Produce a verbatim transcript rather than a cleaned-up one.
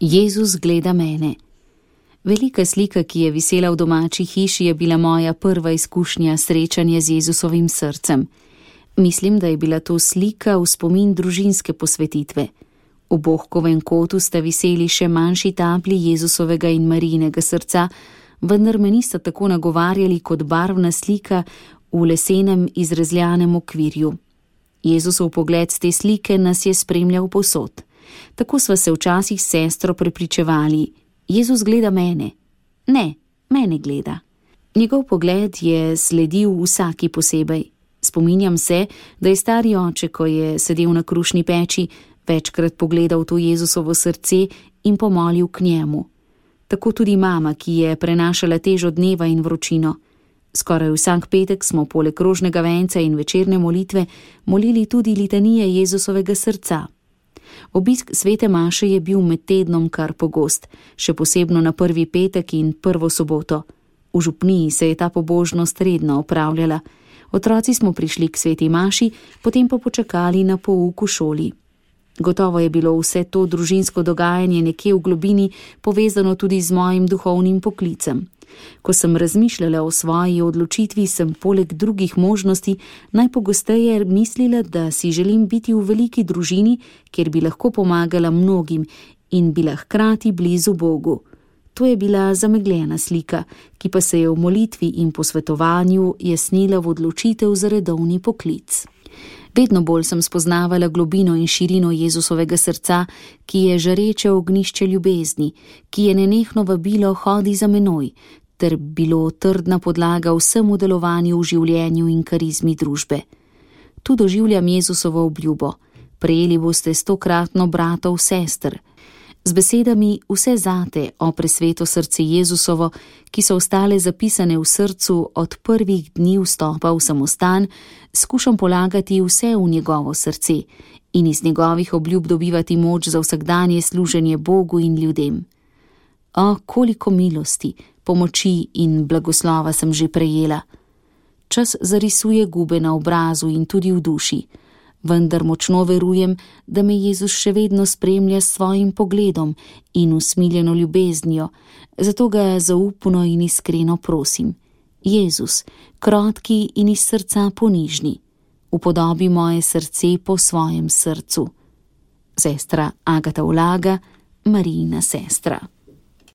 Jezus gleda mene. Velika slika, ki je visela v domači hiši, je bila moja prva izkušnja srečanja z Jezusovim srcem. Mislim, da je bila to slika v spomin družinske posvetitve. V bohkovem kotu sta viseli še manjši taplji Jezusovega in Marijinega srca, vendar me nista tako nagovarjali kot barvna slika v lesenem izrezljanem okvirju. Jezusov pogled z te slike nas je spremljal povsod. Tako sva se včasih s sestro prepričevali: Jezus gleda mene. Ne, mene gleda. Njegov pogled je sledil vsaki posebej. Spominjam se, da je stari oče, ko je sedel na krušni peči, večkrat pogledal to Jezusovo srce in pomolil k njemu. Tako tudi mama, ki je prenašala težo dneva in vročino. Skoraj vsak petek smo poleg rožnega venca in večerne molitve molili tudi litanije Jezusovega srca. Obisk svete maše je bil med tednom kar pogost, še posebno na prvi petek in prvo soboto. V župniji se je ta pobožnost redno opravljala. Otroci smo prišli k sveti maši, potem pa počakali na pouk v šoli. Gotovo je bilo vse to družinsko dogajanje nekje v globini povezano tudi z mojim duhovnim poklicem. Ko sem razmišljala o svoji odločitvi, sem poleg drugih možnosti najpogosteje mislila, da si želim biti v veliki družini, kjer bi lahko pomagala mnogim in bila hkrati blizu Bogu. To je bila zamegljena slika, ki pa se je v molitvi in posvetovanju jasnila v odločitev za redovni poklic. Vedno bolj sem spoznavala globino in širino Jezusovega srca, ki je žareče ognjišče ljubezni, ki je nenehno vabilo hodi za menoj, ter bilo trdna podlaga vsemu delovanju v življenju in karizmi družbe. Tu doživljam Jezusovo obljubo: prejeli boste stokratno bratov sester. Z besedami vse zate, o presveto srce Jezusovo, ki so ostale zapisane v srcu od prvih dni vstopa v samostan, skušam polagati vse v njegovo srce in iz njegovih obljub dobivati moč za vsakdanje služenje Bogu in ljudem. O, koliko milosti, pomoči in blagoslova sem že prejela. Čas zarisuje gube na obrazu in tudi v duši, vendar močno verujem, da me Jezus še vedno spremlja s svojim pogledom in usmiljeno ljubeznijo, zato ga zaupno in iskreno prosim: Jezus, krotki in iz srca ponižni, upodobi moje srce po svojem srcu. Sestra Agata Ulaga, Marijina sestra.